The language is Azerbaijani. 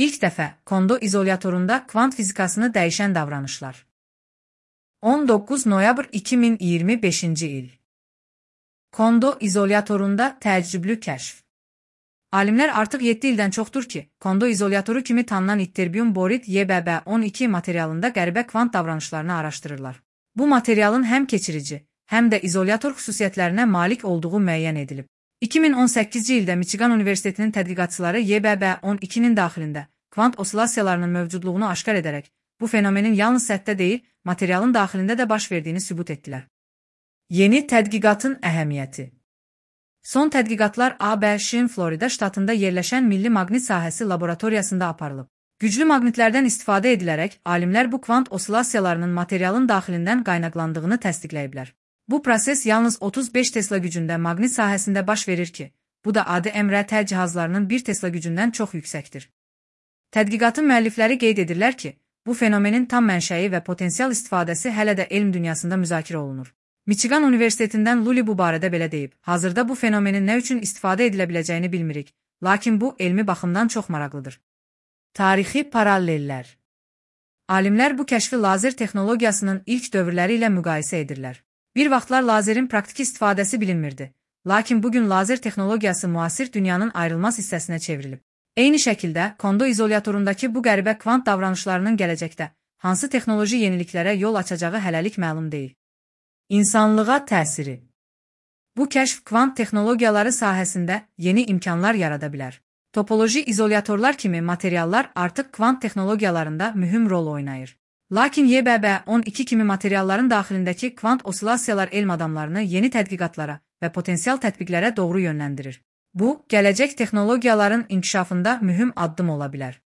İlk dəfə Kondo izolyatorunda kvant fizikasını dəyişən davranışlar. 19 noyabr 2025-ci il. Kondo izolyatorunda təəccüblü kəşf. Alimlər artıq 7 ildən çoxdur ki, Kondo izolyatoru kimi tanınan ytterbium borit YBB12 materialında qəribə kvant davranışlarını araşdırırlar. Bu materialın həm keçirici, həm də izolyator xüsusiyyətlərinə malik olduğu müəyyən edilib. 2018-ci ildə Michigan Universitetinin tədqiqatçıları YBB12-nin daxilində kvant osilasiyalarının mövcudluğunu aşkar edərək, bu fenomenin yalnız səthdə deyil, materialın daxilində də baş verdiyini sübut etdilər. Yeni tədqiqatın əhəmiyyəti. Son tədqiqatlar ABŞ-in Florida ştatında yerləşən Milli Maqnit Sahəsi laboratoriyasında aparılıb. Güclü maqnitlərdən istifadə edilərək, alimlər bu kvant osilasiyalarının materialın daxilindən qaynaqlandığını təsdiqləyiblər. Bu proses yalnız 35 Tesla gücündə maqnit sahəsində baş verir ki, bu da adi MRT cihazlarının 1 Tesla gücündən çox yüksəkdir. Tədqiqatın müəllifləri qeyd edirlər ki, bu fenomenin tam mənşəyi və potensial istifadəsi hələ də elm dünyasında müzakirə olunur. Michigan Universitetindən Luli bu barədə belə deyib, hazırda bu fenomenin nə üçün istifadə edilə biləcəyini bilmirik, lakin bu elmi baxımdan çox maraqlıdır. Tarixi paralellər. Alimlər bu kəşfi lazer texnologiyasının ilk dövrləri ilə müqayisə edirlər. Bir vaxtlar lazerin praktiki istifadəsi bilinmirdi, lakin bugün lazer texnologiyası müasir dünyanın ayrılmaz hissəsinə çevrilib. Eyni şəkildə, Kondo izolyatorundakı bu qəribə kvant davranışlarının gələcəkdə hansı texnoloji yeniliklərə yol açacağı hələlik məlum deyil. İnsanlığa təsiri. Bu kəşf kvant texnologiyaları sahəsində yeni imkanlar yarada bilər. Topoloji izolyatorlar kimi materiallar artıq kvant texnologiyalarında mühüm rol oynayır. Lakin YBB12 kimi materialların daxilindəki kvant osilasiyalar elm adamlarını yeni tədqiqatlara və potensial tətbiqlərə doğru yönləndirir. Bu, gələcək texnologiyaların inkişafında mühüm addım ola bilər.